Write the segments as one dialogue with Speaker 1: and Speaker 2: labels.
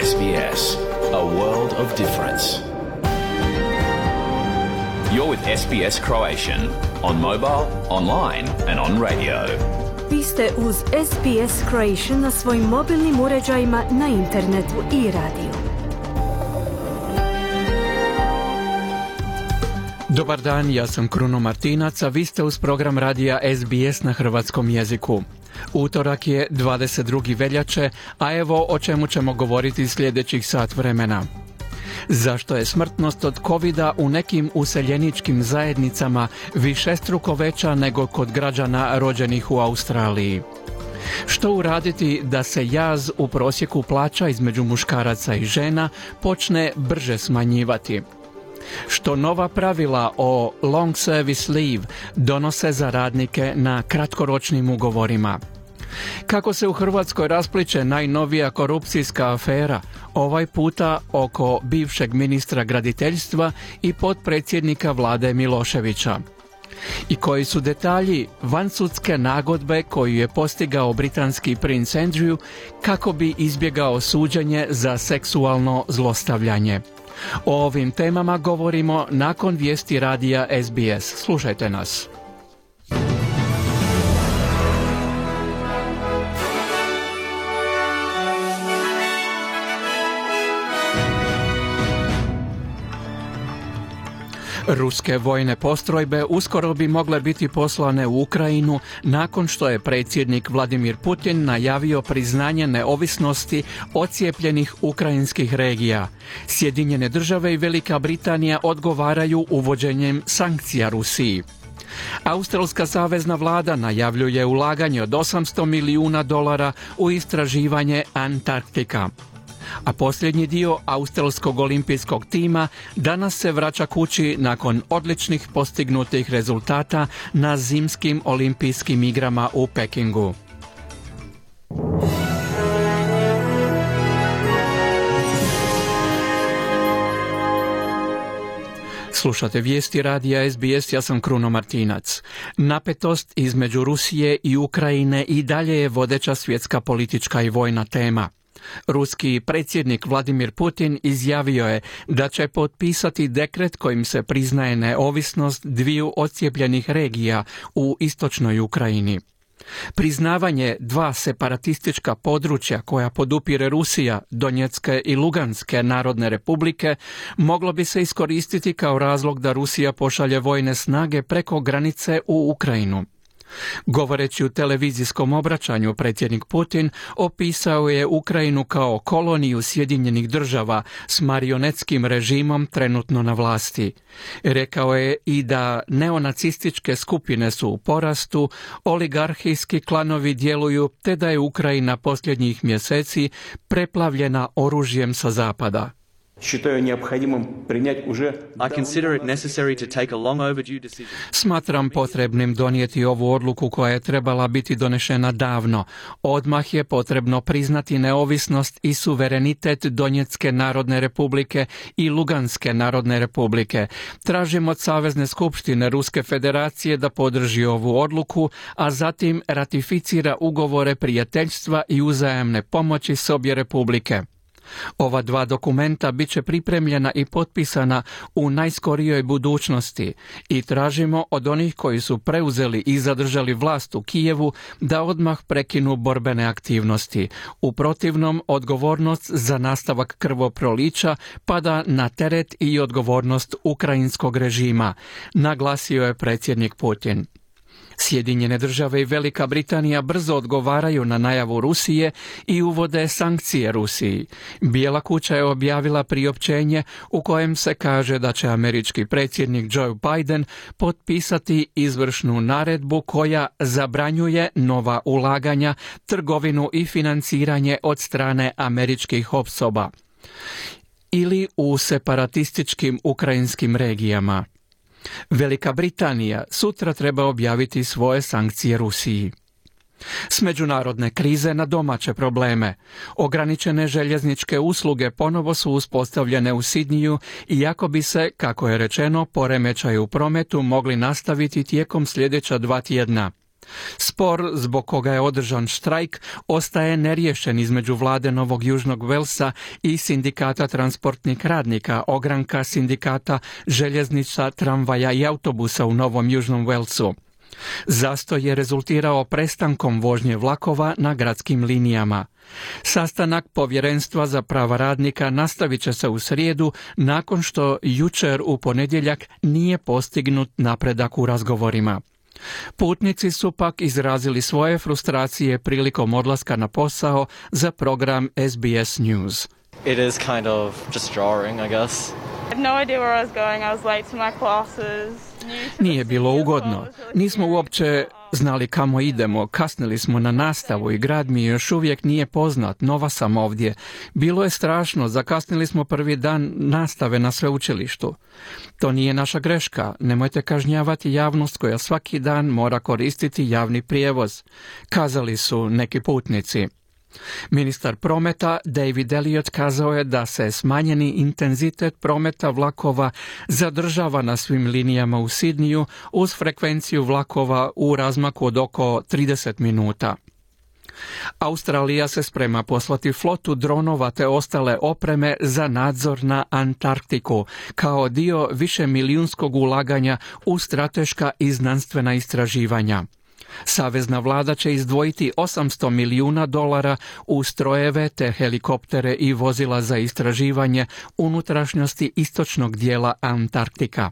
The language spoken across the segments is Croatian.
Speaker 1: SBS, a world of difference. You're with SBS Croatian on mobile, online and on radio.
Speaker 2: Vi ste uz SBS Croatian na svojim mobilnim uređajima, na internetu i radiju.
Speaker 3: Dobar dan, ja sam Kruno Martinac, a vi ste uz program radija SBS na hrvatskom jeziku. Utorak je 22. veljače, a evo o čemu ćemo govoriti sljedećih sat vremena. Zašto je smrtnost od covida u nekim useljeničkim zajednicama višestruko veća nego kod građana rođenih u Australiji? Što uraditi da se jaz u prosjeku plaća između muškaraca i žena počne brže smanjivati? Što nova pravila o long service leave donose za radnike na kratkoročnim ugovorima? Kako se u Hrvatskoj raspliće najnovija korupcijska afera, ovaj puta oko bivšeg ministra graditeljstva i potpredsjednika vlade Miloševića? I koji su detalji vansudske nagodbe koju je postigao britanski princ Andrew kako bi izbjegao suđenje za seksualno zlostavljanje? O ovim temama govorimo nakon vijesti radija SBS. Slušajte nas. Ruske vojne postrojbe uskoro bi mogle biti poslane u Ukrajinu nakon što je predsjednik Vladimir Putin najavio priznanje neovisnosti ocijepljenih ukrajinskih regija. Sjedinjene države i Velika Britanija odgovaraju uvođenjem sankcija Rusiji. Australska savezna vlada najavljuje ulaganje od $800 milijuna u istraživanje Antarktika. A posljednji dio australskog olimpijskog tima danas se vraća kući nakon odličnih postignutih rezultata na zimskim olimpijskim igrama u Pekingu. Slušate vijesti radija SBS, ja sam Kruno Martinac. Napetost između Rusije i Ukrajine i dalje je vodeća svjetska politička i vojna tema. Ruski predsjednik Vladimir Putin izjavio je da će potpisati dekret kojim se priznaje neovisnost dviju odcijepljenih regija u istočnoj Ukrajini. Priznavanje dva separatistička područja koja podupire Rusija, Donjecke i Luganske narodne republike, moglo bi se iskoristiti kao razlog da Rusija pošalje vojne snage preko granice u Ukrajinu. Govoreći u televizijskom obraćanju, predsjednik Putin opisao je Ukrajinu kao koloniju Sjedinjenih država s marionetskim režimom trenutno na vlasti. Rekao je i da neonacističke skupine su u porastu, oligarhijski klanovi djeluju te da je Ukrajina posljednjih mjeseci preplavljena oružjem sa zapada. Smatram potrebnim donijeti ovu odluku koja je trebala biti donešena davno. Odmah je potrebno priznati neovisnost i suverenitet Donjecke narodne republike i Luganske narodne republike. Tražim od Savezne skupštine Ruske federacije da podrži ovu odluku, a zatim ratificira ugovore prijateljstva i uzajamne pomoći s obje republike. Ova dva dokumenta bit će pripremljena i potpisana u najskorijoj budućnosti i tražimo od onih koji su preuzeli i zadržali vlast u Kijevu da odmah prekinu borbene aktivnosti. U protivnom, odgovornost za nastavak krvoprolića pada na teret i odgovornost ukrajinskog režima, naglasio je predsjednik Putin. Sjedinjene države i Velika Britanija brzo odgovaraju na najavu Rusije i uvode sankcije Rusiji. Bijela kuća je objavila priopćenje u kojem se kaže da će američki predsjednik Joe Biden potpisati izvršnu naredbu koja zabranjuje nova ulaganja, trgovinu i financiranje od strane američkih osoba ili u separatističkim ukrajinskim regijama. Velika Britanija sutra treba objaviti svoje sankcije Rusiji. S međunarodne krize na domaće probleme. Ograničene željezničke usluge ponovo su uspostavljene u Sidniju, iako bi se, kako je rečeno, poremećaji u prometu mogli nastaviti tijekom sljedeća 2 tjedna. Spor zbog koga je održan štrajk ostaje neriješen između vlade Novog Južnog Velsa i sindikata transportnih radnika, ogranka sindikata željeznica, tramvaja i autobusa u Novom Južnom Velsu. Zastoj je rezultirao prestankom vožnje vlakova na gradskim linijama. Sastanak Povjerenstva za prava radnika nastavit će se u srijedu nakon što jučer u ponedjeljak nije postignut napredak u razgovorima. Putnici su pak izrazili svoje frustracije prilikom odlaska na posao za program SBS News.
Speaker 4: It is kind of just jarring, I guess.
Speaker 5: I had no idea where I was going. I was late to my classes.
Speaker 3: Nije bilo ugodno. Nismo uopće znali kamo idemo. Kasnili smo na nastavu i grad mi još uvijek nije poznat. Nova sam ovdje. Bilo je strašno. Zakasnili smo prvi dan nastave na sveučilištu. To nije naša greška. Nemojte kažnjavati javnost koja svaki dan mora koristiti javni prijevoz, kazali su neki putnici. Ministar prometa David Elliott kazao je da se smanjeni intenzitet prometa vlakova zadržava na svim linijama u Sidniju uz frekvenciju vlakova u razmaku od oko 30 minuta. Australija se sprema poslati flotu dronova te ostale opreme za nadzor na Antarktiku kao dio višemilijunskog ulaganja u strateška i znanstvena istraživanja. Savezna vlada će izdvojiti $800 milijuna u strojeve te helikoptere i vozila za istraživanje unutrašnjosti istočnog dijela Antarktika.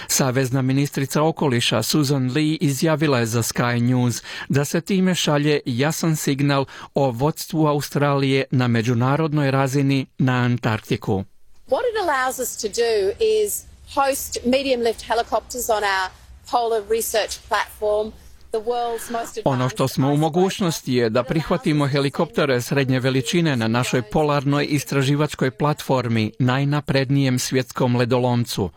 Speaker 3: Savezna ministrica okoliša Susan Lee izjavila je za Sky News da se time šalje jasan signal o vodstvu Australije na međunarodnoj razini na Antarktiku.
Speaker 6: What it allows us to do is host medium lift helicopters on our polar research platform.
Speaker 3: Ono što smo u mogućnosti je da prihvatimo helikoptere srednje veličine na našoj polarnoj istraživačkoj platformi, najnaprednijem svjetskom ledolomcu.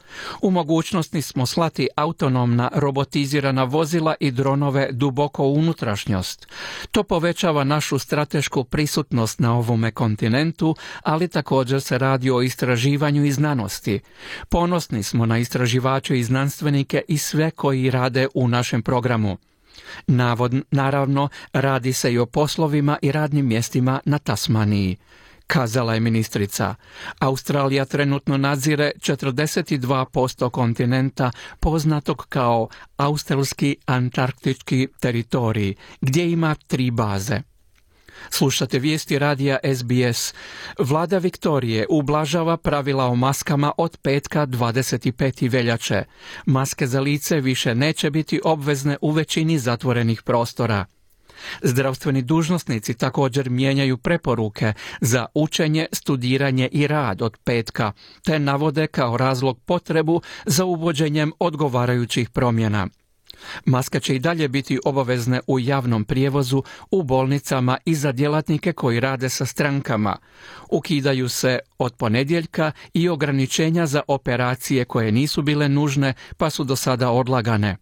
Speaker 3: U mogućnosti smo slati autonomna robotizirana vozila i dronove duboko u unutrašnjost. To povećava našu stratešku prisutnost na ovome kontinentu, ali također se radi o istraživanju i znanosti. Ponosni smo na istraživače i znanstvenike i sve koji rade u našem programu. Naravno, radi se i o poslovima i radnim mjestima na Tasmaniji, kazala je ministrica. Australija trenutno nadzire 42% kontinenta poznatog kao australski antarktički teritorij, gdje ima 3 baze. Slušate vijesti radija SBS. Vlada Viktorije ublažava pravila o maskama od petka 25. veljače. Maske za lice više neće biti obvezne u većini zatvorenih prostora. Zdravstveni dužnosnici također mijenjaju preporuke za učenje, studiranje i rad od petka, te navode kao razlog potrebu za uvođenjem odgovarajućih promjena. Maske će i dalje biti obavezne u javnom prijevozu, u bolnicama i za djelatnike koji rade sa strankama. Ukidaju se od ponedjeljka i ograničenja za operacije koje nisu bile nužne pa su do sada odlagane.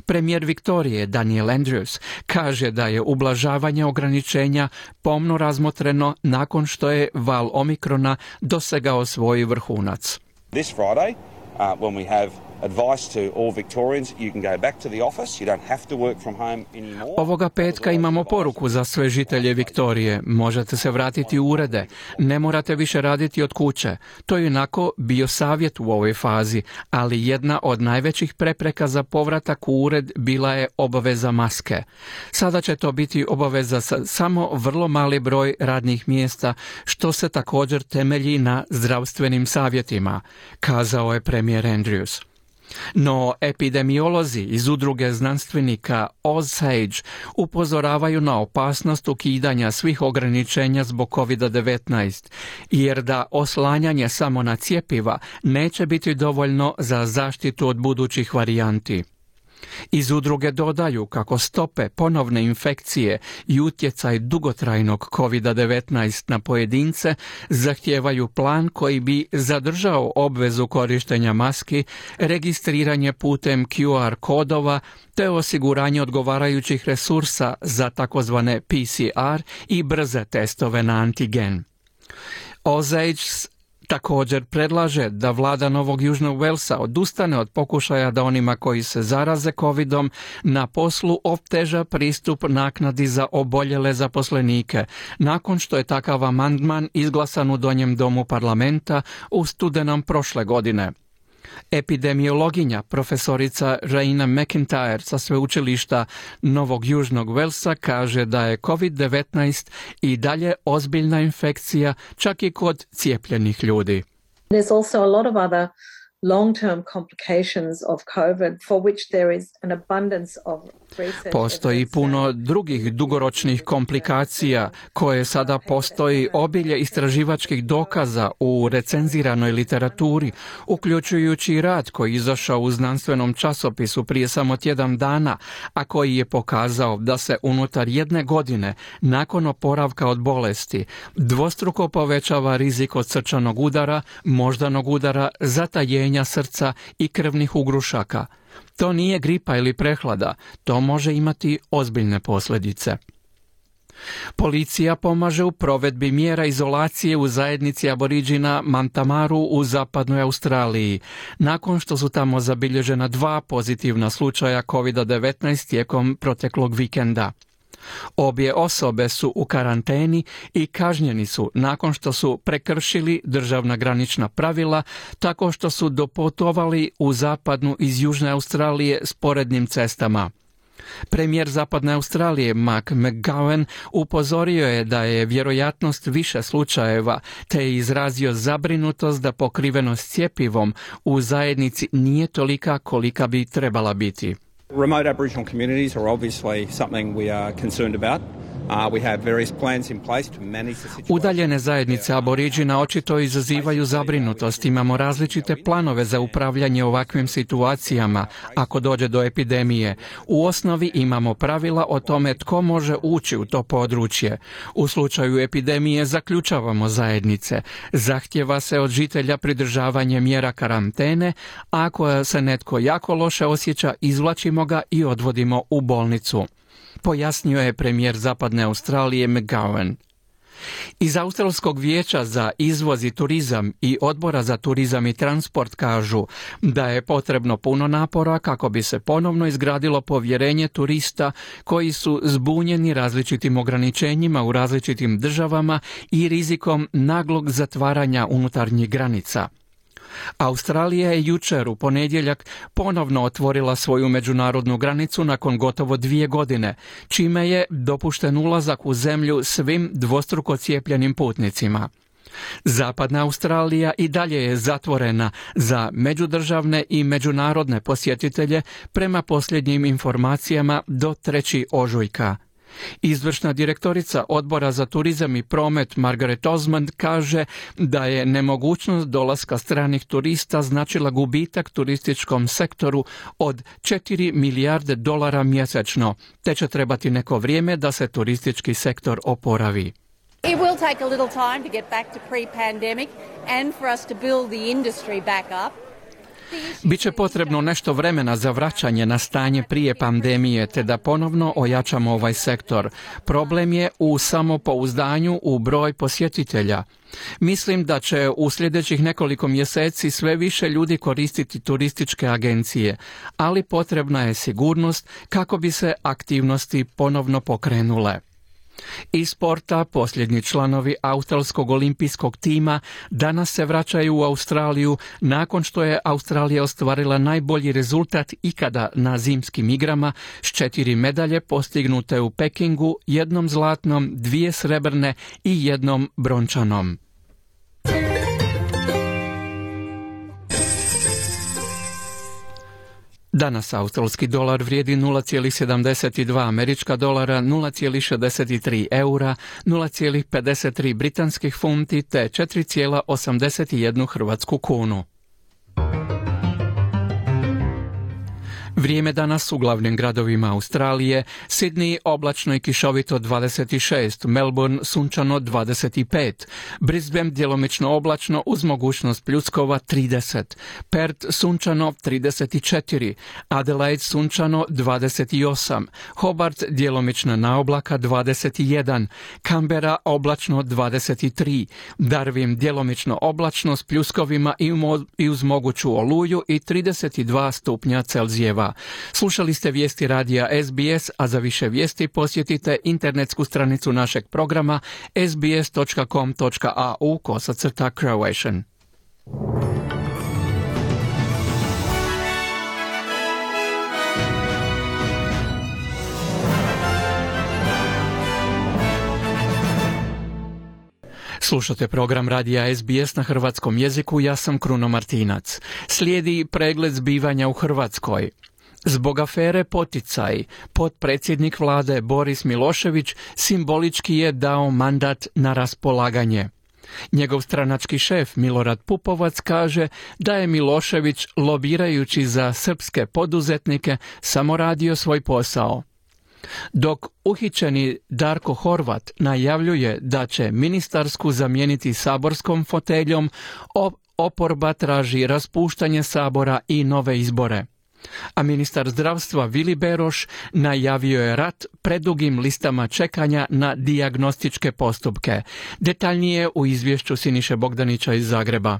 Speaker 3: Premijer Viktorije Daniel Andrews kaže da je ublažavanje ograničenja pomno razmotreno nakon što je val Omikrona dosegao svoj vrhunac.
Speaker 7: This Friday, when we have advice to all Victorians, you can go back to the office, you don't have to work from home anymore.
Speaker 3: Ovoga petka imamo poruku za sve žitelje Viktorije. Možete se vratiti u urede. Ne morate više raditi od kuće. To je onako bio savjet u ovoj fazi, ali jedna od najvećih prepreka za povratak u ured bila je obaveza maske. Sada će to biti obaveza za samo vrlo mali broj radnih mjesta, što se također temelji na zdravstvenim savjetima, kazao je premijer Andrews. No, epidemiolozi iz udruge znanstvenika OzSage upozoravaju na opasnost ukidanja svih ograničenja zbog COVID-19, jer da oslanjanje samo na cjepiva neće biti dovoljno za zaštitu od budućih varijanti. Iz udruge dodaju kako stope ponovne infekcije i utjecaj dugotrajnog COVID-19 na pojedince zahtijevaju plan koji bi zadržao obvezu korištenja maski, registriranje putem QR kodova te osiguranje odgovarajućih resursa za takozvane PCR i brze testove na antigen. OzSage Također predlaže da vlada Novog Južnog Walesa odustane od pokušaja da onima koji se zaraze covidom na poslu oteža pristup naknadi za oboljele zaposlenike, nakon što je takav amandman izglasan u Donjem domu parlamenta u studenom prošle godine. Epidemiologinja profesorica Raina McIntyre sa sveučilišta Novog Južnog Walesa kaže da je COVID-19 i dalje ozbiljna infekcija čak i kod cijepljenih ljudi.
Speaker 8: There's also a lot of other long-term complications of COVID for which there is an abundance of research.
Speaker 3: Postoji puno drugih dugoročnih komplikacija koje sada postoji obilje istraživačkih dokaza u recenziranoj literaturi, uključujući rad koji je izašao u znanstvenom časopisu prije samo tjedan dana, a koji je pokazao da se unutar 1 godine nakon oporavka od bolesti dvostruko povećava rizik od srčanog udara, moždanog udara, zatajenja srca i krvnih ugrušaka. To nije gripa ili prehlada, to može imati ozbiljne posljedice. Policija pomaže u provedbi mjera izolacije u zajednici Aboriđina Mantamaru u zapadnoj Australiji, nakon što su tamo zabilježena 2 pozitivna slučaja COVID-19 tijekom proteklog vikenda. Obje osobe su u karanteni i kažnjeni su nakon što su prekršili državna granična pravila tako što su doputovali u zapadnu iz Južne Australije sporednim cestama. Premijer Zapadne Australije Mark McGowan upozorio je da je vjerojatnost više slučajeva, te je izrazio zabrinutost da pokrivenost cjepivom u zajednici nije tolika kolika bi trebala biti.
Speaker 9: Remote Aboriginal communities are obviously something we are concerned about. We have various plans in place to manage the situation.
Speaker 3: Udaljene zajednice Aboriđina očito izazivaju zabrinutost. Imamo različite planove za upravljanje ovakvim situacijama ako dođe do epidemije. U osnovi imamo pravila o tome tko može ući u to područje. U slučaju epidemije zaključavamo zajednice. Zahtjeva se od žitelja pridržavanje mjera karantene, a ako se netko jako loše osjeća, izvlačimo ga i odvodimo u bolnicu, pojasnio je premijer Zapadne Australije McGowan. Iz Australskog vijeća za izvoz i turizam i Odbora za turizam i transport kažu da je potrebno puno napora kako bi se ponovno izgradilo povjerenje turista koji su zbunjeni različitim ograničenjima u različitim državama i rizikom naglog zatvaranja unutarnjih granica. Australija je jučer u ponedjeljak ponovno otvorila svoju međunarodnu granicu nakon gotovo 2 godine, čime je dopušten ulazak u zemlju svim dvostruko cijepljenim putnicima. Zapadna Australija i dalje je zatvorena za međudržavne i međunarodne posjetitelje prema posljednjim informacijama do 3. ožujka. Izvršna direktorica Odbora za turizam i promet Margaret Osmond kaže da je nemogućnost dolaska stranih turista značila gubitak turističkom sektoru od $4 milijarde mjesečno, te će trebati neko vrijeme da se turistički sektor oporavi.
Speaker 10: It will take a little time to get back to pre-pandemic and for us to build the industry back up.
Speaker 3: Biće potrebno nešto vremena za vraćanje na stanje prije pandemije te da ponovno ojačamo ovaj sektor. Problem je u samopouzdanju u broj posjetitelja. Mislim da će u sljedećih nekoliko mjeseci sve više ljudi koristiti turističke agencije, ali potrebna je sigurnost kako bi se aktivnosti ponovno pokrenule. Iz sporta posljednji članovi australskog olimpijskog tima danas se vraćaju u Australiju nakon što je Australija ostvarila najbolji rezultat ikada na zimskim igrama s 4 medalje postignute u Pekingu, 1 zlatnom, 2 srebrne i 1 brončanom. Danas australski dolar vrijedi 0,72 američka dolara, 0,63 eura, 0,53 britanskih funti te 4,81 hrvatsku kunu. Vrijeme danas u glavnim gradovima Australije: Sydney oblačno i kišovito 26, Melbourne sunčano 25, Brisbane djelomično oblačno uz mogućnost pljuskova 30, Perth sunčano 34, Adelaide sunčano 28, Hobart djelomično na oblaka 21, Canberra oblačno 23, Darwin djelomično oblačno s pljuskovima i uz moguću oluju i 32 stupnja Celzijeva. Slušali ste vijesti radija SBS, a za više vijesti posjetite internetsku stranicu našeg programa sbs.com.au/Croatian. Slušate program radija SBS na hrvatskom jeziku, ja sam Kruno Martinac. Slijedi pregled zbivanja u Hrvatskoj. Zbog afere Poticaj, potpredsjednik vlade Boris Milošević simbolički je dao mandat na raspolaganje. Njegov stranački šef Milorad Pupovac kaže da je Milošević, lobirajući za srpske poduzetnike, samo radio svoj posao. Dok uhićeni Darko Horvat najavljuje da će ministarsku zamijeniti saborskom foteljom, oporba traži raspuštanje sabora i nove izbore. A ministar zdravstva Vili Beroš najavio je rat predugim listama čekanja na dijagnostičke postupke. Detaljnije u izvješću Siniše Bogdanića iz Zagreba.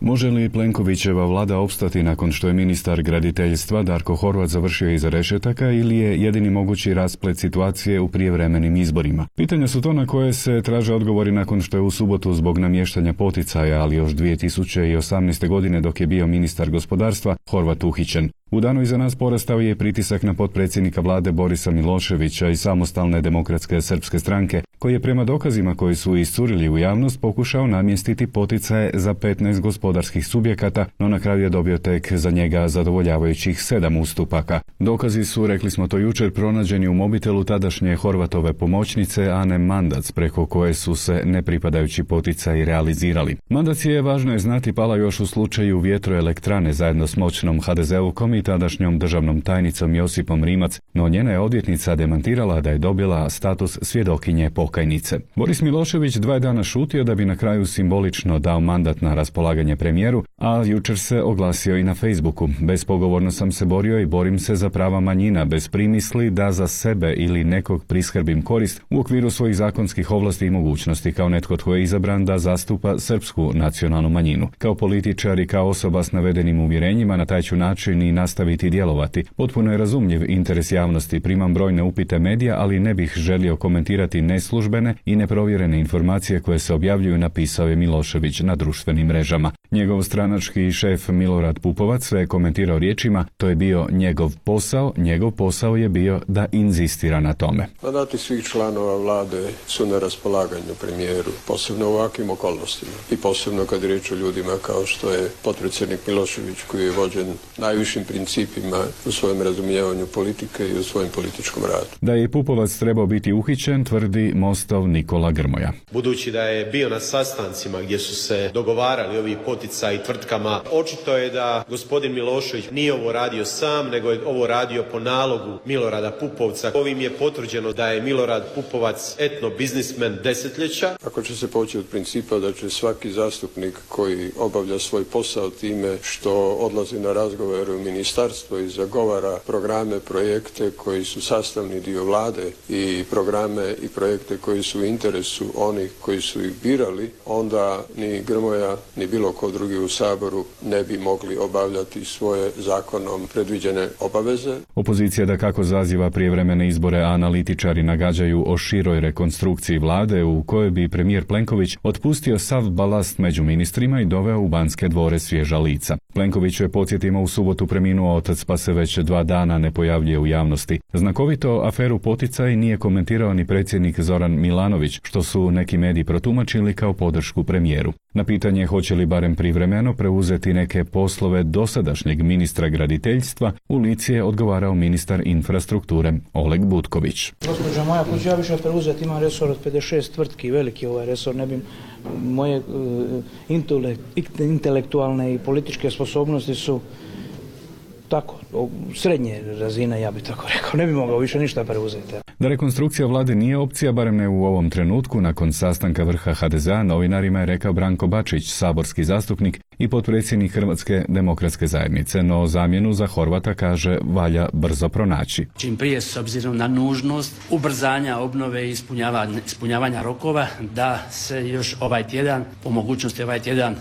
Speaker 11: Može li Plenkovićeva vlada opstati nakon što je ministar graditeljstva Darko Horvat završio iza rešetaka ili je jedini mogući rasplet situacije u prijevremenim izborima? Pitanja su to na koje se traže odgovori nakon što je u subotu zbog namještanja poticaja, ali još 2018. godine dok je bio ministar gospodarstva, Horvat uhićen. U danu iza nas porastao je pritisak na potpredsjednika vlade Borisa Miloševića i Samostalne demokratske srpske stranke, koji je prema dokazima koji su iscurili u javnost pokušao namjestiti poticaje za 15 gospodarskih subjekata, no na kraju je dobio tek za njega zadovoljavajućih 7 ustupaka. Dokazi su, rekli smo to jučer, pronađeni u mobitelu tadašnje Horvatove pomoćnice Ane Mandac, preko koje su se nepripadajući poticaji realizirali. Mandac je, važno je znati, pala još u slučaju vjetroelektrane zajedno s moćnom HDZ-ovkom i tadašnjom državnom tajnicom Josipom Rimac, no njena je odvjetnica demantirala da je dobila status svjedokinje pokajnice. Boris Milošević 2 dana šutio da bi na kraju simbolično dao mandat na raspolaganje premijeru, a jučer se oglasio i na Facebooku. Bespogovorno sam se borio i borim se za prava manjina, bez primisli da za sebe ili nekog priskrbim korist u okviru svojih zakonskih ovlasti i mogućnosti, kao netko tko je izabran da zastupa srpsku nacionalnu manjinu. Kao političar i kao osoba s navedenim uvjerenjima na taj ću način i nastaviti djelovati. Potpuno je razumljiv interes javnosti, primam brojne upite medija, ali ne bih želio komentirati neslužbene i neprovjerene informacije koje se objavljuju, napisao je Milošević na društvenim mrežama. Njegov stranački šef Milorad Pupovac sve je komentirao riječima: to je bio njegov posao je bio da inzistira na tome.
Speaker 12: Mandati svih članova vlade su na raspolaganju premijeru, posebno u ovakvim okolnostima i posebno kad je riječ o ljudima kao što je potpredsjednik Milošević, koji je vođen najvišim principima u svojem razumijevanju politike i u svojem političkom radu. Da je Pupovac trebao biti uhićen, tvrdi Mostov Nikola Grmoja.
Speaker 13: Budući da je bio na sastancima gdje su se dogovarali ovi poticaji tvrtkama, očito je da gospodin Milošević nije ovo radio sam, nego je ovo radio po nalogu Milorada Pupovca. Ovim je potvrđeno da je Milorad Pupovac etno biznismen desetljeća. Ako će se poći od principa da će svaki zastupnik koji obavlja svoj posao time što odlazi na razgovor u ministarstvo i zagovara programe, projekte koji su sastavni dio vlade i programe i projekte koji su u interesu onih koji su ih birali, onda ni Grmoja ni bilo ko drugi u Saboru ne bi mogli obavljati svoje zakonom predviđene obaveze.
Speaker 11: Opozicija dakako zaziva prijevremene izbore, a analitičari nagađaju o široj rekonstrukciji vlade u kojoj bi premijer Plenković otpustio sav balast među ministrima i doveo u Banske dvore svježa lica. Plenković je, podsjetimo, u subotu preminuo otac, pa se već 2 dana ne pojavljuje u javnosti. Znakovito aferu Poticaj nije komentirao ni predsjednik Zoran Milanović, što su neki mediji protumačili kao podršku premijeru. Na pitanje hoće li barem privremeno preuzeti neke poslove dosadašnjeg ministra graditeljstva, u lici je odgovarao ministar infrastrukture Oleg Butković.
Speaker 14: Gospođo moja, hoću ja više preuzeti, imam resor od 56 tvrtki, veliki ovaj resor, ne bi moje intelektualne i političke sposobnosti su tako, srednje razine, ja bih tako rekao, ne bi mogao više ništa preuzeti.
Speaker 11: Da rekonstrukcija vlade nije opcija, barem ne u ovom trenutku, nakon sastanka vrha HDZ-a, novinarima je rekao Branko Bačić, saborski zastupnik i potpredsjednik Hrvatske demokratske zajednice, no zamjenu za Horvata, kaže, valja brzo pronaći.
Speaker 15: Čim prije, s obzirom na nužnost ubrzanja obnove i ispunjavanja rokova, da se još ovaj tjedan, po mogućnosti ovaj tjedan,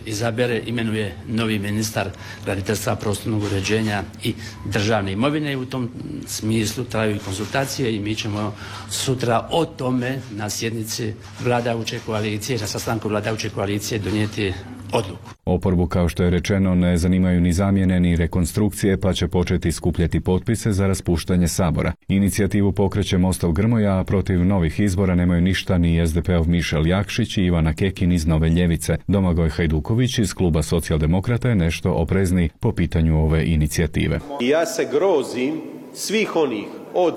Speaker 15: izabere, imenuje novi ministar graditeljstva, prostornog uređenja i državne imovine. U tom smislu traju i konzultacije i mi ćemo sutra o tome na sjednici vladajuće koalicije, na sastanku vladajuće koalicije donijeti odluku.
Speaker 11: Oporbu, kao što je rečeno, ne zanimaju ni zamjene ni rekonstrukcije, pa će početi skupljati potpise za raspuštanje Sabora. Inicijativu pokreće Mostov Grmoja, a protiv novih izbora nemaju ništa ni SDP-ov Mišel Jakšić i Ivana Kekin iz Nove ljevice. Domagoj Hajduković iz kluba Socijaldemokrata je nešto oprezniji po pitanju ove inicijative.
Speaker 13: Ja se grozim svih onih od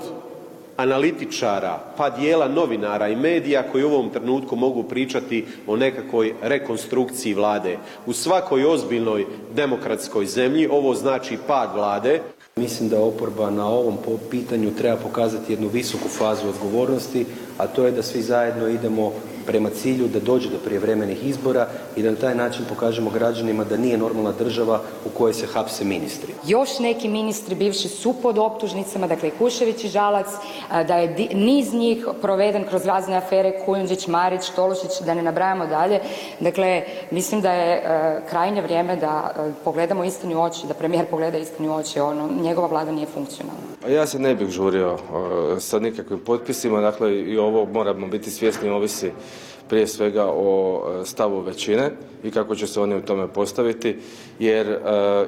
Speaker 13: analitičara pa dijela novinara i medija koji u ovom trenutku mogu pričati o nekakvoj rekonstrukciji vlade. U svakoj ozbiljnoj demokratskoj zemlji ovo znači pad vlade.
Speaker 16: Mislim da oporba na ovom pitanju treba pokazati jednu visoku fazu odgovornosti, a to je da svi zajedno idemo prema cilju da dođe do prijevremenih izbora i da na taj način pokažemo građanima da nije normalna država u kojoj se hapse ministri.
Speaker 17: Još neki ministri bivši su pod optužnicama, dakle Kušević i Žalac, da je niz njih proveden kroz razne afere, Kujundžić, Marić, Tolušić, da ne nabrajamo dalje. Dakle, mislim da je krajnje vrijeme da pogledamo istini u oči, da premijer pogleda istini u oči, njegova vlada nije funkcionalna.
Speaker 18: Ja se ne bih žurio sa nikakvim potpisima, dakle i ovo moramo biti svjesni, ovisi prije svega o stavu većine i kako će se oni u tome postaviti, jer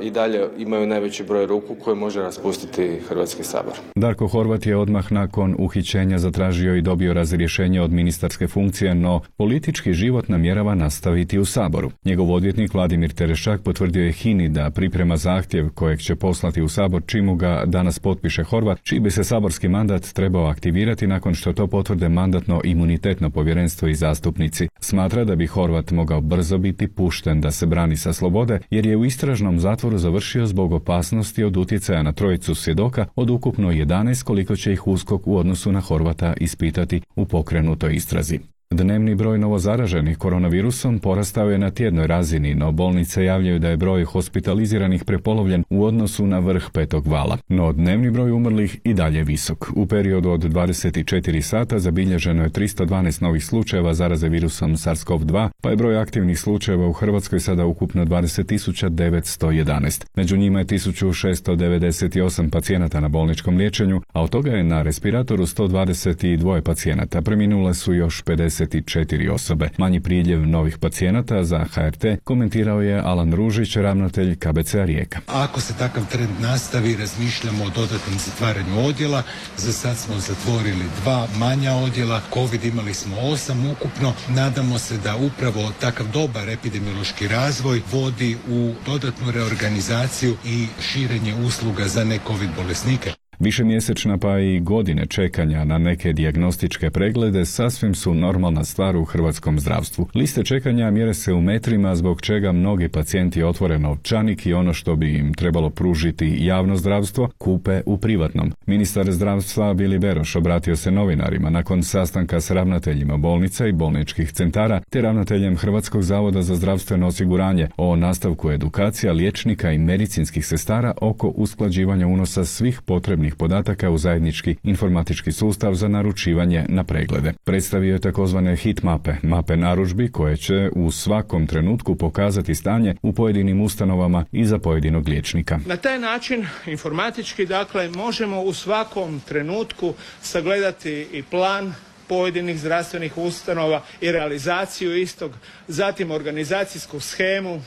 Speaker 18: i dalje imaju najveći broj ruku koje može raspustiti Hrvatski sabor.
Speaker 11: Darko Horvat je odmah nakon uhićenja zatražio i dobio razrješenje od ministarske funkcije, no politički život namjerava nastaviti u Saboru. Njegov odvjetnik Vladimir Terešak potvrdio je HINA-i da priprema zahtjev kojeg će poslati u Sabor čim ga danas potpiše Horvat, čiji bi se saborski mandat trebao aktivirati nakon što to potvrde Mandatno-imunitetno povjerenstvo i zastupnici. Smatra da bi Horvat mogao brzo biti pušten da se brani sa slobode, jer je u istražnom zatvoru završio zbog opasnosti od utjecaja na trojicu svjedoka od ukupno 11, koliko će ih USKOK u odnosu na Horvata ispitati u pokrenutoj istrazi. Dnevni broj novozaraženih koronavirusom porastao je na tjednoj razini, no bolnice javljaju da je broj hospitaliziranih prepolovljen u odnosu na vrh petog vala. No dnevni broj umrlih i dalje visok. U periodu od 24 sata zabilježeno je 312 novih slučajeva zaraze virusom SARS-CoV-2, pa je broj aktivnih slučajeva u Hrvatskoj sada ukupno 20.911. Među njima je 1698 pacijenata na bolničkom liječenju, a od toga je na respiratoru 122 pacijenata. Preminule su još 54 osobe. Manji priljev novih pacijenata za HRT komentirao je Alan Ružić, ravnatelj KBC-a Rijeka.
Speaker 19: Ako se takav trend nastavi, razmišljamo o dodatnom zatvaranju odjela. Za sad smo zatvorili 2 manja odjela. COVID imali smo 8 ukupno. Nadamo se da upravo takav dobar epidemiološki razvoj vodi u dodatnu reorganizaciju i širenje usluga za ne-COVID bolesnike.
Speaker 11: Višemjesečna pa i godine čekanja na neke dijagnostičke preglede sasvim su normalna stvar u hrvatskom zdravstvu. Liste čekanja mjere se u metrima, zbog čega mnogi pacijenti otvore novčanik i ono što bi im trebalo pružiti javno zdravstvo kupe u privatnom. Ministar zdravstva Vili Beroš obratio se novinarima nakon sastanka s ravnateljima bolnica i bolničkih centara te ravnateljem Hrvatskog zavoda za zdravstveno osiguranje o nastavku edukacija liječnika i medicinskih sestara oko usklađivanja unosa svih potrebnih podataka u zajednički informatički sustav za naručivanje na preglede. Predstavio je takozvane hit mape narudžbi koje će u svakom trenutku pokazati stanje u pojedinim ustanovama i za pojedinog liječnika.
Speaker 20: Na taj način informatički možemo u svakom trenutku sagledati i plan pojedinih zdravstvenih ustanova i realizaciju istog, zatim organizacijsku shemu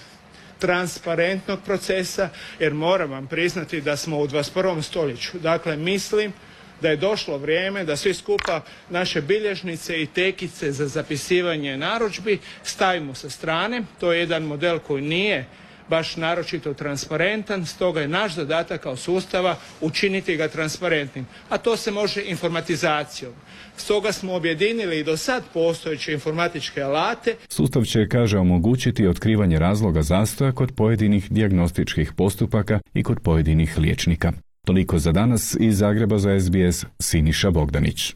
Speaker 20: transparentnog procesa, jer moram vam priznati da smo u 21. stoljeću. Dakle, mislim da je došlo vrijeme da svi skupa naše bilježnice i tekice za zapisivanje narudžbi stavimo sa strane. To je jedan model koji nije baš naročito transparentan, stoga je naš zadatak kao sustava učiniti ga transparentnim, a to se može informatizacijom. Stoga smo objedinili i do sad postojeće informatičke alate.
Speaker 11: Sustav će, kaže, omogućiti otkrivanje razloga zastoja kod pojedinih dijagnostičkih postupaka i kod pojedinih liječnika. Toliko za danas. Iz Zagreba za SBS, Siniša Bogdanić.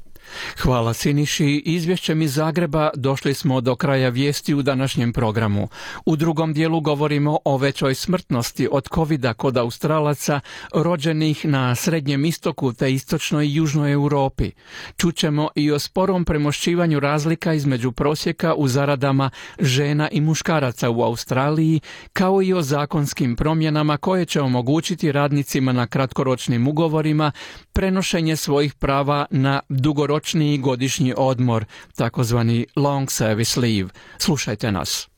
Speaker 3: Hvala Siniši. Izvješćem iz Zagreba došli smo do kraja vijesti u današnjem programu. U drugom dijelu govorimo o većoj smrtnosti od covida kod Australaca rođenih na Srednjem istoku te istočnoj i južnoj Europi. Čućemo i o sporom premošćivanju razlika između prosjeka u zaradama žena i muškaraca u Australiji, kao i o zakonskim promjenama koje će omogućiti radnicima na kratkoročnim ugovorima prenošenje svojih prava na dugoročni godišnji odmor, takozvani long service leave. Slušajte nas.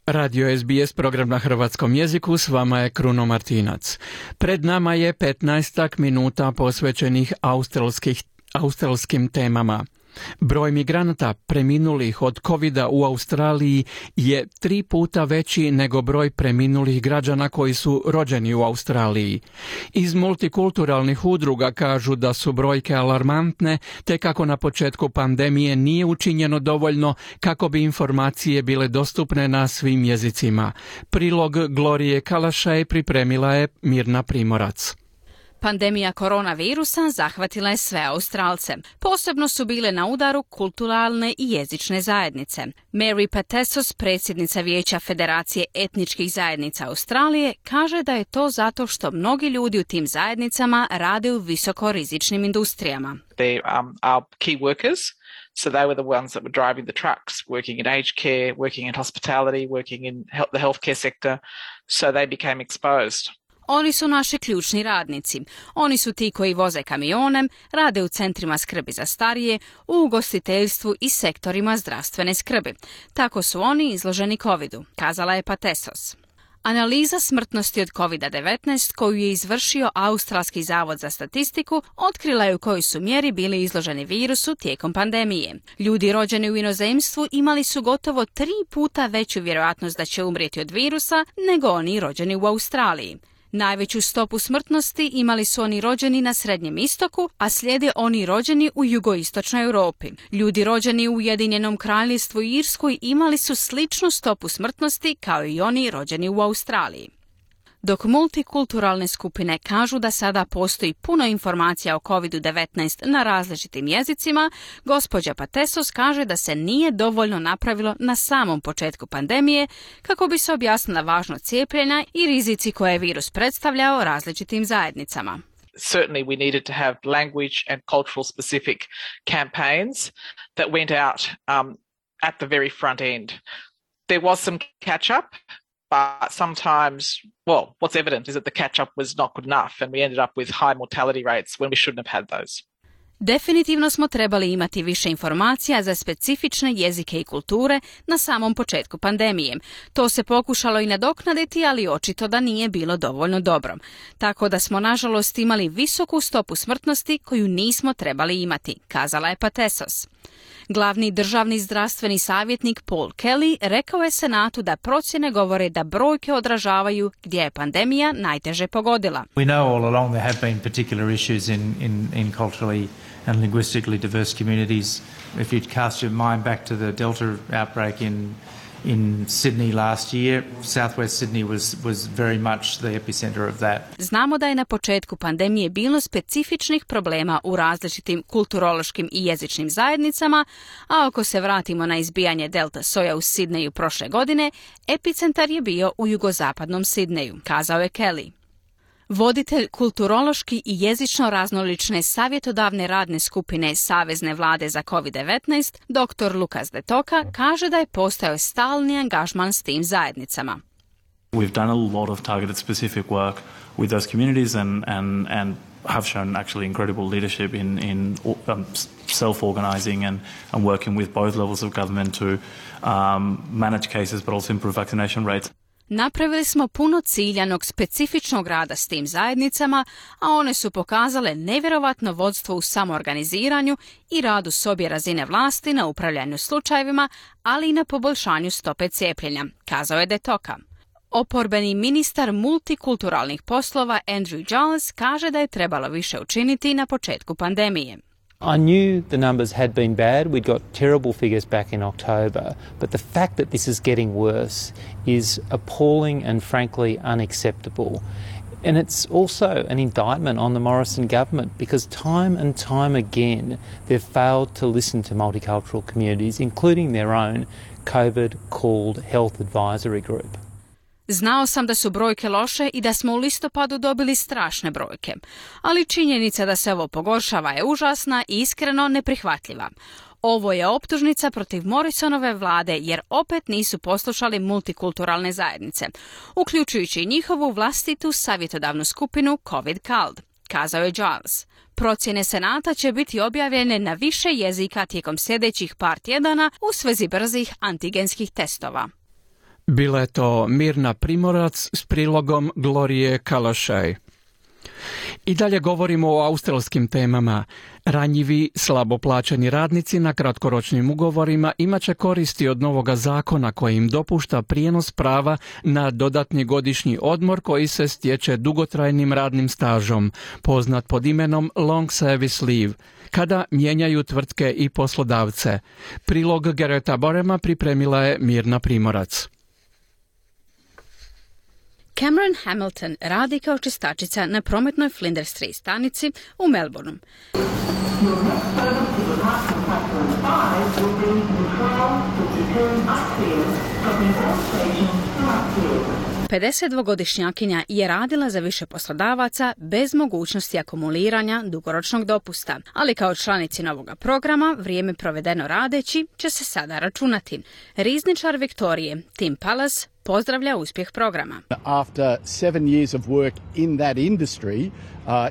Speaker 3: Radio SBS, program na hrvatskom jeziku, s vama je Kruno Martinac. Pred nama je 15 minuta posvećenih australskim temama. Broj migranata preminulih od covida u Australiji je 3 puta veći nego broj preminulih građana koji su rođeni u Australiji. Iz multikulturalnih udruga kažu da su brojke alarmantne, te kako na početku pandemije nije učinjeno dovoljno kako bi informacije bile dostupne na svim jezicima. Prilog Glorije Kalašaj pripremila je Mirna Primorac.
Speaker 21: Pandemija koronavirusa zahvatila je sve Australce. Posebno su bile na udaru kulturalne i jezične zajednice. Mary Patesos, predsjednica Vijeća Federacije etničkih zajednica Australije, kaže da je to zato što mnogi ljudi u tim zajednicama rade u visokorizičnim industrijama.
Speaker 22: They are key workers. So they were the ones that were driving the trucks, working in aged care, working in hospitality, working in the healthcare sector. So they became exposed.
Speaker 21: Oni su naši ključni radnici. Oni su ti koji voze kamionem, rade u centrima skrbi za starije, u ugostiteljstvu i sektorima zdravstvene skrbi. Tako su oni izloženi covidu, kazala je Patesos. Analiza smrtnosti od COVID-19 koju je izvršio Australski zavod za statistiku otkrila je u kojoj su mjeri bili izloženi virusu tijekom pandemije. Ljudi rođeni u inozemstvu imali su gotovo 3 puta veću vjerojatnost da će umrijeti od virusa nego oni rođeni u Australiji. Najveću stopu smrtnosti imali su oni rođeni na Srednjem istoku, a slijede oni rođeni u jugoistočnoj Europi. Ljudi rođeni u Ujedinjenom Kraljevstvu i Irskoj imali su sličnu stopu smrtnosti kao i oni rođeni u Australiji. Dok multikulturalne skupine kažu da sada postoji puno informacija o COVID-19 na različitim jezicima, gospođa Patesos kaže da se nije dovoljno napravilo na samom početku pandemije kako bi se objasnila važnost cijepljenja i rizici koje je virus predstavljao različitim zajednicama.
Speaker 22: Certainly we needed to have language and cultural specific campaigns that went out at the very front end. There was some catch up. But sometimes, well, what's evident is that the catch-up was not good enough and we ended up with high mortality rates when we shouldn't have had those.
Speaker 21: Definitivno smo trebali imati više informacija za specifične jezike i kulture na samom početku pandemije. To se pokušalo i nadoknaditi, ali očito da nije bilo dovoljno dobro. Tako da smo, nažalost, imali visoku stopu smrtnosti koju nismo trebali imati, kazala je Patesos. Glavni državni zdravstveni savjetnik Paul Kelly rekao je Senatu da procjene govore da brojke odražavaju gdje je pandemija najteže pogodila.
Speaker 23: We know all along there have been particular issues in culturally and linguistically diverse communities. If you'd cast your mind back to the Delta outbreak in Sydney last year, Southwest Sydney was very much the epicenter of that.
Speaker 21: Znamo da je na početku pandemije bilo specifičnih problema u različitim kulturološkim i jezičnim zajednicama, a ako se vratimo na izbijanje Delta soja u Sidneju prošle godine, epicentar je bio u jugozapadnom Sidneju, kazao je Kelly. Voditelj kulturološki i jezično raznolične savjetodavne radne skupine Savezne vlade za COVID-19, dr. Lukas De Toka, kaže da je postojao stalni angažman s tim zajednicama.
Speaker 24: We've done a lot of targeted specific work with those communities and have shown actually incredible leadership in self-organizing and working with both levels of government to manage cases but also improve vaccination rates.
Speaker 21: Napravili smo puno ciljanog, specifičnog rada s tim zajednicama, a one su pokazale nevjerovatno vodstvo u samoorganiziranju i radu s obje razine vlasti na upravljanju slučajevima, ali i na poboljšanju stope cijepljenja, kazao je De Toka. Oporbeni ministar multikulturalnih poslova Andrew Giles kaže da je trebalo više učiniti na početku pandemije.
Speaker 1: I knew the numbers had been bad. We'd got terrible figures back in October, but the fact that this is getting worse is appalling and frankly unacceptable. And it's also an indictment on the Morrison government because time and time again they've failed to listen to multicultural communities, including their own COVID-called Health Advisory Group.
Speaker 21: Znao sam da su brojke loše i da smo u listopadu dobili strašne brojke, ali činjenica da se ovo pogoršava je užasna i iskreno neprihvatljiva. Ovo je optužnica protiv Morrisonove vlade jer opet nisu poslušali multikulturalne zajednice, uključujući i njihovu vlastitu savjetodavnu skupinu COVID CALD, kazao je Giles. Procjene Senata će biti objavljene na više jezika tijekom sljedećih par tjedana u svezi brzih antigenskih testova.
Speaker 3: Bila je to Mirna Primorac s prilogom Glorije Kalašaj. I dalje govorimo o australskim temama. Ranjivi, slabo plaćeni radnici na kratkoročnim ugovorima imat će koristi od novoga zakona koji im dopušta prijenos prava na dodatni godišnji odmor koji se stječe dugotrajnim radnim stažom, poznat pod imenom Long Service Leave, kada mijenjaju tvrtke i poslodavce. Prilog Gereta Borema pripremila je Mirna Primorac.
Speaker 21: Cameron Hamilton radi kao čistačica na prometnoj Flinders Street stanici u Melbourneu. 52-godišnjakinja je radila za više poslodavaca bez mogućnosti akumuliranja dugoročnog dopusta, ali kao članici novoga programa vrijeme provedeno radeći će se sada računati. Rizničar Viktorije Tim Pallas pozdravlja uspjeh programa.
Speaker 2: After 7 years of work in that industry,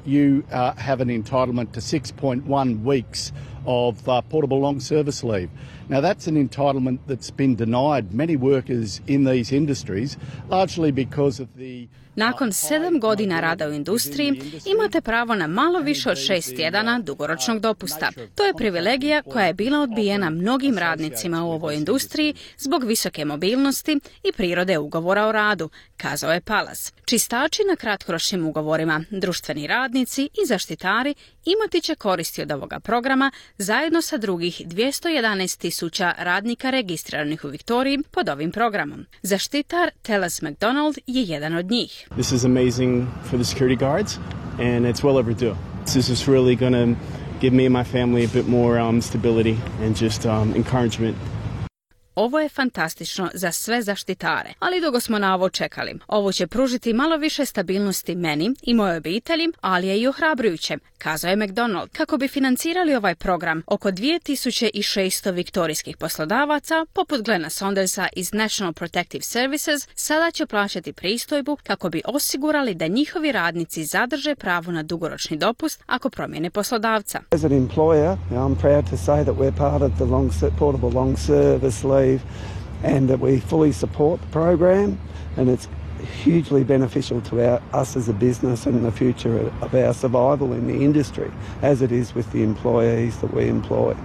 Speaker 2: you have an entitlement to 6.1 weeks of portable long service leave. Now that's an entitlement that's been denied many workers in these industries, largely because of the
Speaker 21: Nakon 7 godina rada u industriji imate pravo na malo više od 6 tjedana dugoročnog dopusta. To je privilegija koja je bila odbijena mnogim radnicima u ovoj industriji zbog visoke mobilnosti i prirode ugovora o radu, kazao je Pallas. Čistači na kratkoročnim ugovorima, društveni radnici i zaštitari imati će koristi od ovoga programa zajedno sa drugih 211,000 radnika registriranih u Viktoriji pod ovim programom. Zaštitar Teles McDonald je jedan od njih.
Speaker 4: This is amazing for the security guards, and it's well overdue. This is really going to give me and my family a bit more stability and just encouragement.
Speaker 21: Ovo je fantastično za sve zaštitare, ali dugo smo na ovo čekali. Ovo će pružiti malo više stabilnosti meni i mojoj obitelji, ali je i ohrabrujuće, kazao je McDonald. Kako bi financirali ovaj program, oko 2600 viktorijskih poslodavaca, poput Glena Saundersa iz National Protective Services, sada će plaćati pristojbu kako bi osigurali da njihovi radnici zadrže pravo na dugoročni dopust ako promijene poslodavca.
Speaker 5: As an employer, I'm proud to say that we're part of the portable long service leave and that we fully support the program, and it's hugely beneficial to us as a business and the future of our survival in the industry, as it is with the employees that we employ.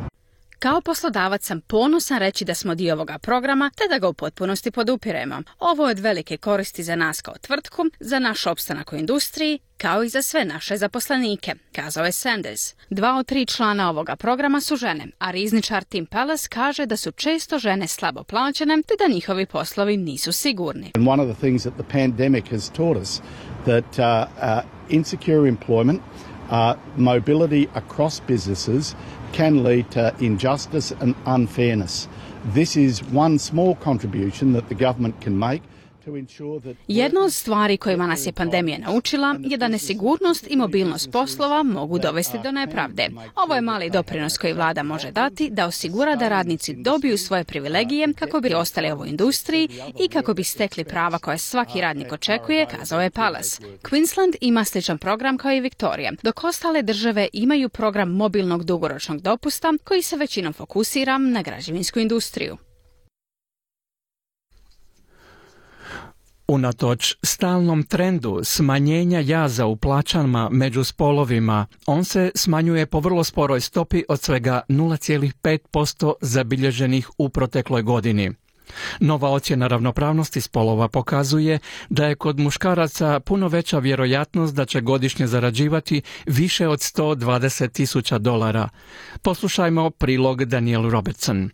Speaker 21: Kao poslodavac sam ponosan reći da smo dio ovoga programa te da ga u potpunosti podupiremo. Ovo je od velike koristi za nas kao tvrtku, za naš opstanak u industriji, kao i za sve naše zaposlenike, kazao je Sanders. 2 od 3 člana ovoga programa su žene, a rizničar Tim Pallas kaže da su često žene slabo plaćene te da njihovi poslovi nisu sigurni.
Speaker 2: And one of the things that the pandemic has taught us that insecure employment, mobility across businesses can lead to injustice and unfairness. This is one small contribution that the government can make.
Speaker 21: Jedna od stvari kojima nas je pandemija naučila je da nesigurnost i mobilnost poslova mogu dovesti do nepravde. Ovo je mali doprinos koji vlada može dati da osigura da radnici dobiju svoje privilegije kako bi ostali u ovoj industriji i kako bi stekli prava koje svaki radnik očekuje, kazao je Pallas. Queensland ima sličan program kao i Viktorija, dok ostale države imaju program mobilnog dugoročnog dopusta koji se većinom fokusira na građevinsku industriju.
Speaker 3: Unatoč stalnom trendu smanjenja jaza u plaćama među spolovima, on se smanjuje po vrlo sporoj stopi od svega 0,5% zabilježenih u protekloj godini. Nova ocjena ravnopravnosti spolova pokazuje da je kod muškaraca puno veća vjerojatnost da će godišnje zarađivati više od $120,000. Poslušajmo prilog Danielle Robertson.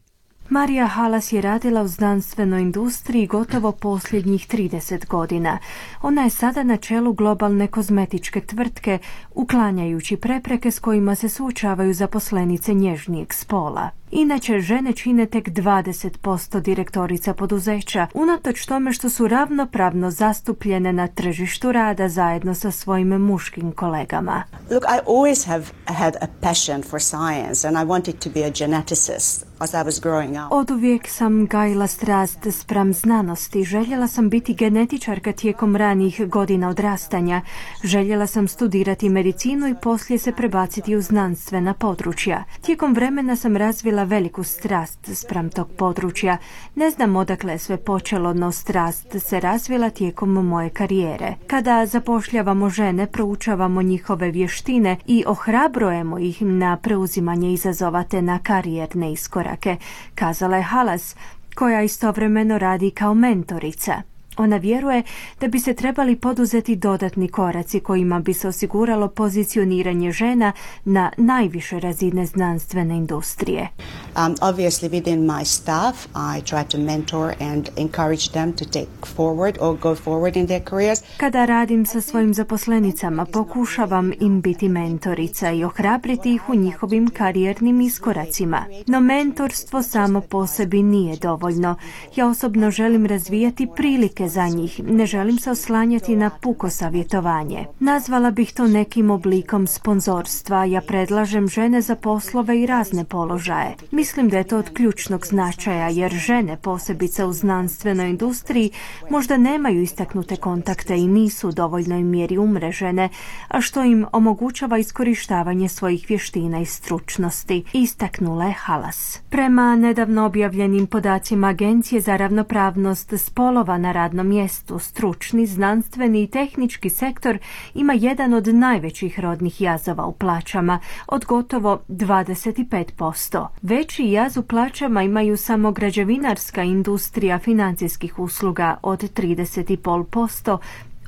Speaker 6: Marija Halas je radila u znanstvenoj industriji gotovo posljednjih 30 godina. Ona je sada na čelu globalne kozmetičke tvrtke, uklanjajući prepreke s kojima se suočavaju zaposlenice nježnijeg spola. Inače, žene čine tek 20% direktorica poduzeća, unatoč tome što su ravnopravno zastupljene na tržištu rada zajedno sa svojim muškim kolegama.
Speaker 7: Look, I always have had a passion for science and I wanted to be a geneticist as I was growing up.
Speaker 6: Oduvijek sam gajila strast spram znanosti. Željela sam biti genetičarka tijekom ranijih godina odrastanja. Željela sam studirati medicinu i poslije se prebaciti u znanstvena područja. Tijekom vremena sam razvila veliku strast spram tog područja. Ne znam odakle je sve počelo, no strast se razvila tijekom moje karijere. Kada zapošljavamo žene, proučavamo njihove vještine i ohrabrujemo ih na preuzimanje izazova te na karijerne iskorake, kazala je Halas, koja istovremeno radi kao mentorica. Ona vjeruje da bi se trebali poduzeti dodatni koraci kojima bi se osiguralo pozicioniranje žena na najviše razine znanstvene industrije.
Speaker 7: Obviously within my staff I try to mentor and encourage them to take forward or go forward in their careers.
Speaker 6: Kada radim sa svojim zaposlenicama, pokušavam im biti mentorica i ohrabriti ih u njihovim karijernim iskoracima. No mentorstvo samo po sebi nije dovoljno. Ja osobno želim razvijati prilike za njih. Ne želim se oslanjati na puko savjetovanje. Nazvala bih to nekim oblikom sponzorstva. Ja predlažem žene za poslove i razne položaje. Mislim da je to od ključnog značaja, jer žene, posebice u znanstvenoj industriji, možda nemaju istaknute kontakte i nisu u dovoljnoj mjeri umrežene, a što im omogućava iskorištavanje svojih vještina i stručnosti, istaknula je Halas. Prema nedavno objavljenim podacima Agencije za ravnopravnost spolova na radnom mjestu, stručni, znanstveni i tehnički sektor ima jedan od najvećih rodnih jazova u plaćama, od gotovo 25%. Veći jaz u plaćama imaju samo građevinarska industrija financijskih usluga od 30,5%,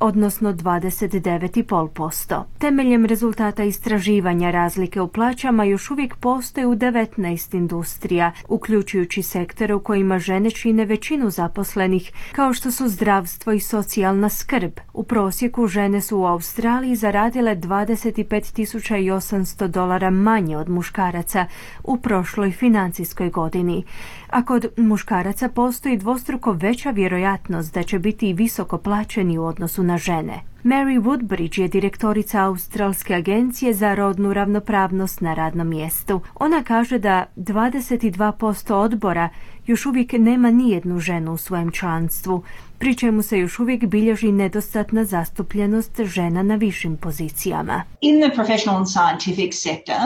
Speaker 6: odnosno 29,5%. Temeljem rezultata istraživanja razlike u plaćama još uvijek postoje u 19 industrija, uključujući sektore u kojima žene čine većinu zaposlenih, kao što su zdravstvo i socijalna skrb. U prosjeku žene su u Australiji zaradile $25,800 manje od muškaraca u prošloj financijskoj godini. A kod muškaraca postoji dvostruko veća vjerojatnost da će biti visoko plaćeni u odnosu na žene. Mary Woodbridge je direktorica Australske agencije za rodnu ravnopravnost na radnom mjestu. Ona kaže da 22% odbora još uvijek nema nijednu ženu u svojem članstvu, pri čemu se još uvijek bilježi nedostatna zastupljenost žena na višim pozicijama.
Speaker 8: In the professional and scientific sector,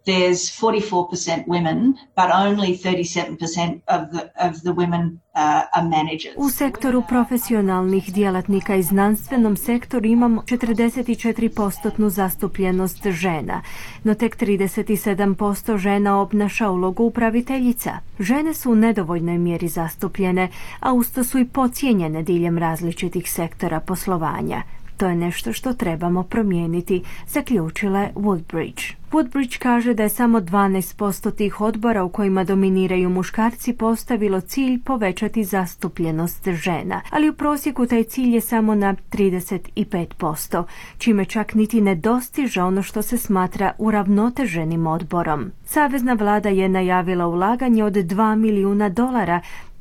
Speaker 8: there's 44% women, but only 37% of the women are managers.
Speaker 6: U sektoru profesionalnih djelatnika i znanstvenom sektoru imamo 44% zastupljenost žena, no tek 37% žena obnaša ulogu upraviteljica. Žene su u nedovoljnoj mjeri zastupljene, a usto su i podcijenjene diljem različitih sektora poslovanja. To je nešto što trebamo promijeniti, zaključila je Woodbridge. Woodbridge kaže da je samo 12% tih odbora u kojima dominiraju muškarci postavilo cilj povećati zastupljenost žena, ali u prosjeku taj cilj je samo na 35%, čime čak niti ne dostiže ono što se smatra uravnoteženim odborom. Savezna vlada je najavila ulaganje od $2 milijuna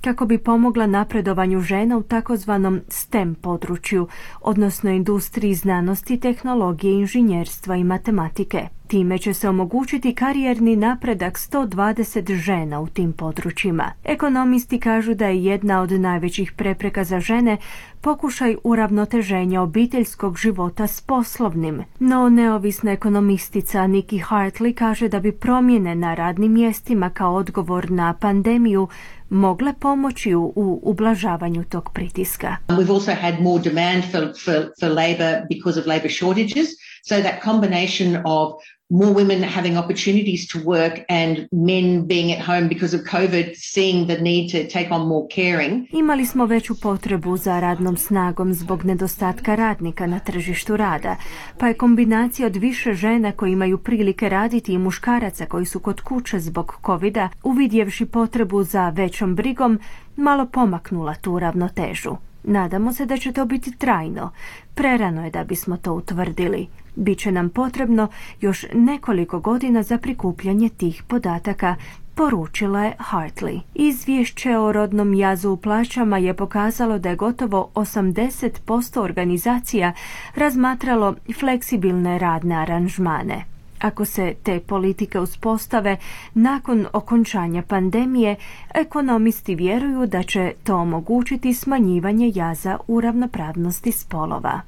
Speaker 6: kako bi pomogla napredovanju žena u takozvanom STEM području, odnosno industriji znanosti, tehnologije, inženjerstva i matematike. Time će se omogućiti karijerni napredak 120 žena u tim područjima. Ekonomisti kažu da je jedna od najvećih prepreka za žene pokušaj uravnoteženja obiteljskog života s poslovnim. No neovisna ekonomistica Nikki Hartley kaže da bi promjene na radnim mjestima kao odgovor na pandemiju mogle pomoći u ublažavanju tog pritiska.
Speaker 9: We've also had more demand for labor because of labor shortages, so that combination of more women having opportunities to work and men being at home because of COVID, seeing the need to take on more caring.
Speaker 6: Imali smo veću potrebu za radnom snagom zbog nedostatka radnika na tržištu rada, pa je kombinacija od više žena koji imaju prilike raditi i muškaraca koji su kod kuće zbog COVID-a, uvidjevši potrebu za većom brigom, malo pomaknula tu ravnotežu. Nadamo se da će to biti trajno. Prerano je da bismo to utvrdili. Biće nam potrebno još nekoliko godina za prikupljanje tih podataka, poručila je Hartley. Izvješće o rodnom jazu u plaćama je pokazalo da je gotovo 80% organizacija razmatralo fleksibilne radne aranžmane. Ako se te politike uspostave nakon okončanja pandemije, ekonomisti vjeruju da će to omogućiti smanjivanje jaza u ravnopravnosti spolova.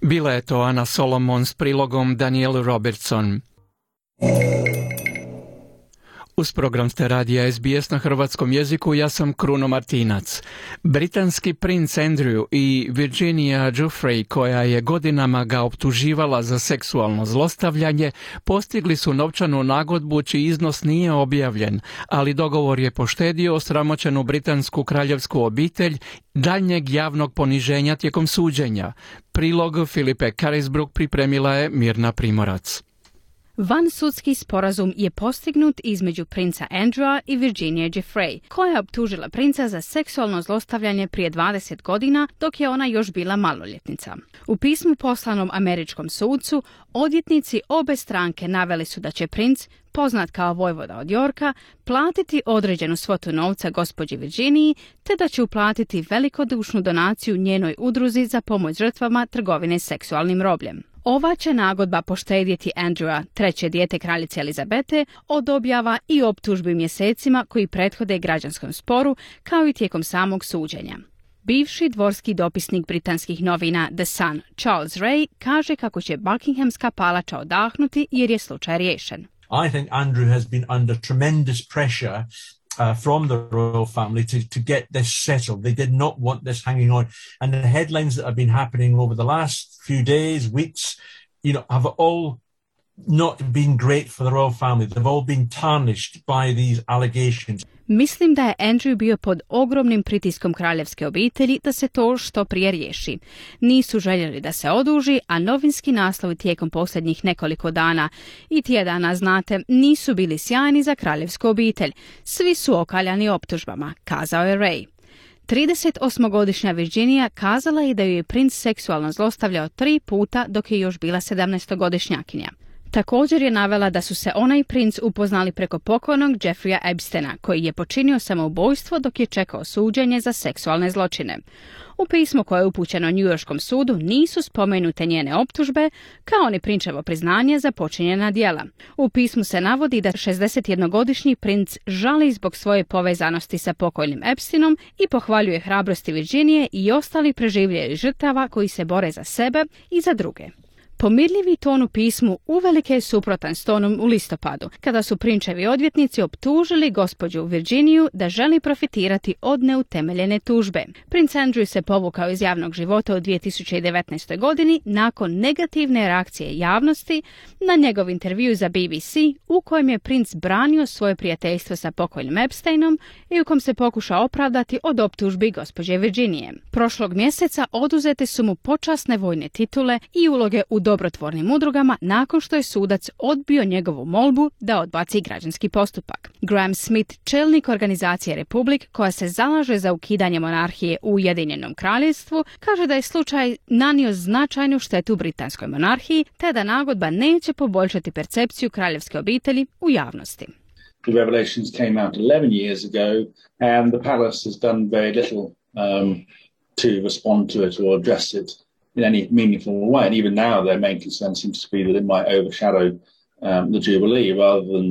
Speaker 3: Bila je to Ana Solomon s prilogom Danielle Robertson. Uz program ste radija SBS na hrvatskom jeziku, ja sam Kruno Martinac. Britanski princ Andrew i Virginia Giuffre, koja je godinama ga optuživala za seksualno zlostavljanje, postigli su novčanu nagodbu čiji iznos nije objavljen, ali dogovor je poštedio osramoćenu britansku kraljevsku obitelj daljnjeg javnog poniženja tijekom suđenja. Prilog Filipe Carisbrook pripremila je Mirna Primorac.
Speaker 21: Vansudski sporazum je postignut između princa Andrewa i Virginia Giuffre, koja je optužila princa za seksualno zlostavljanje prije 20 godina dok je ona još bila maloljetnica. U pismu poslanom američkom sudcu, odvjetnici obe stranke naveli su da će princ, poznat kao vojvoda od Yorka, platiti određenu svotu novca gospođi Virginiji, te da će uplatiti velikodušnu donaciju njenoj udruzi za pomoć žrtvama trgovine seksualnim robljem. Ova će nagodba poštedjeti Andrewa, treće dijete kraljice Elizabete, od objava i optužbi mjesecima koji prethode građanskom sporu, kao i tijekom samog suđenja. Bivši dvorski dopisnik britanskih novina The Sun, Charles Ray, kaže kako će Buckinghamska palača odahnuti jer je slučaj riješen.
Speaker 10: I think Andrew has been under tremendous pressure from the royal family to get this settled. They did not want this hanging on. And the headlines that have been happening over the last few days, weeks, have all not been great for the royal family. They've all been tarnished by these allegations.
Speaker 21: Mislim da je Andrew bio pod ogromnim pritiskom kraljevske obitelji da se to što prije riješi. Nisu željeli da se oduži, a novinski naslovi tijekom posljednjih nekoliko dana i tjedana, znate, nisu bili sjajni za kraljevsku obitelj. Svi su okaljani optužbama, kazao je Ray. 38-godišnja Virginia kazala je da ju je princ seksualno zlostavljao 3 puta dok je još bila 17-godišnjakinja. Također je navela da su se ona i princ upoznali preko pokojnog Jeffreya Epsteina, koji je počinio samoubojstvo dok je čekao suđenje za seksualne zločine. U pismu koje je upućeno Newyorskom sudu nisu spomenute njene optužbe, kao ni prinčevo priznanje za počinjena djela. U pismu se navodi da 61-godišnji princ žali zbog svoje povezanosti sa pokojnim Epsteinom i pohvaljuje hrabrosti Virginije i ostalih preživjelih žrtava koji se bore za sebe i za druge. Pomirljivi ton u pismu uvelike je suprotan s tonom u listopadu, kada su prinčevi odvjetnici optužili gospođu Virginiju da želi profitirati od neutemeljene tužbe. Princ Andrew se povukao iz javnog života u 2019. godini nakon negativne reakcije javnosti na njegov intervju za BBC, u kojem je princ branio svoje prijateljstvo sa pokojnim Epsteinom i u kom se pokušao opravdati od optužbi gospođe Virginije. Prošlog mjeseca oduzete su mu počasne vojne titule i uloge u dobrotvornim udrugama nakon što je sudac odbio njegovu molbu da odbaci građanski postupak. Graham Smith, čelnik organizacije Republic, koja se zalaže za ukidanje monarhije u Ujedinjenom kraljevstvu, kaže da je slučaj nanio značajnu štetu britanskoj monarhiji, te da nagodba neće poboljšati percepciju kraljevske obitelji u javnosti.
Speaker 12: The revelations came out 11 years ago and the palace has done very little to respond to it or address it. in any meaningful way. And even now, their main concern seems to be that it might overshadow the Jubilee rather than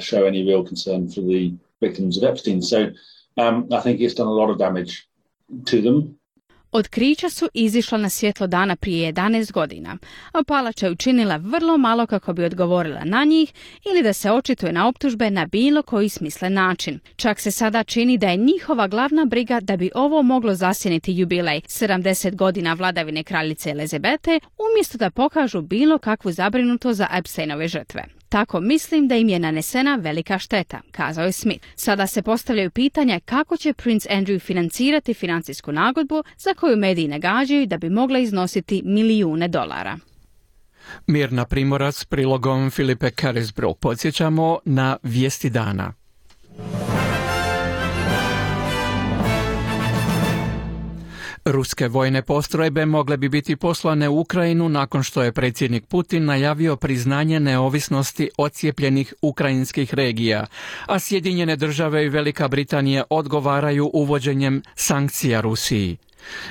Speaker 12: show any real concern for the victims of Epstein. So I think it's done a lot of damage to them.
Speaker 21: Otkrića su izišla na svjetlo dana prije 11 godina, a Palača je učinila vrlo malo kako bi odgovorila na njih ili da se očituje na optužbe na bilo koji smislen način. Čak se sada čini da je njihova glavna briga da bi ovo moglo zasjeniti jubilej 70 godina vladavine kraljice Elizabete, umjesto da pokažu bilo kakvu zabrinutost za Epsteinove žrtve. Tako mislim da im je nanesena velika šteta, kazao je Smith. Sada se postavljaju pitanja kako će Prince Andrew financirati financijsku nagodbu za koju mediji nagađaju da bi mogla iznositi milijune dolara.
Speaker 3: Mirna Primorac s prilogom Filipe Carisbrook. Podsjećamo na vijesti dana. Ruske vojne postrojbe mogle bi biti poslane u Ukrajinu nakon što je predsjednik Putin najavio priznanje neovisnosti odcijepljenih ukrajinskih regija, a Sjedinjene države i Velika Britanija odgovaraju uvođenjem sankcija Rusiji.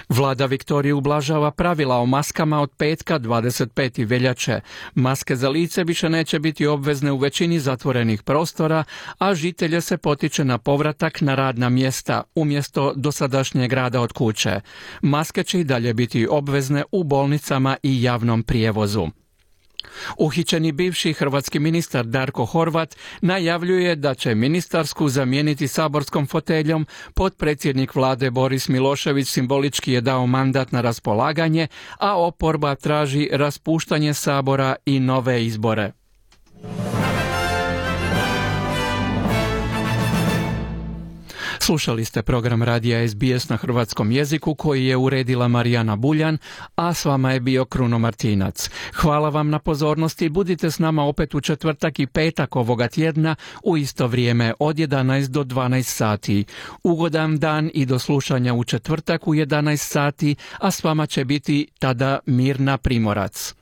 Speaker 3: Vlada Viktorije ublažava pravila o maskama od petka 25. veljače. Maske za lice više neće biti obvezne u većini zatvorenih prostora, a žitelje se potiče na povratak na radna mjesta umjesto dosadašnjeg rada od kuće. Maske će i dalje biti obvezne u bolnicama i javnom prijevozu. Uhićeni bivši hrvatski ministar Darko Horvat najavljuje da će ministarsku zamijeniti saborskom foteljom. Potpredsjednik vlade Boris Milošević simbolički je dao mandat na raspolaganje, a oporba traži raspuštanje sabora i nove izbore. Slušali ste program radija SBS na hrvatskom jeziku koji je uredila Marijana Buljan, a s vama je bio Kruno Martinac. Hvala vam na pozornosti i budite s nama opet u četvrtak i petak ovoga tjedna u isto vrijeme od 11 do 12 sati. Ugodan dan i do slušanja u četvrtak u 11 sati, a s vama će biti tada Mirna Primorac.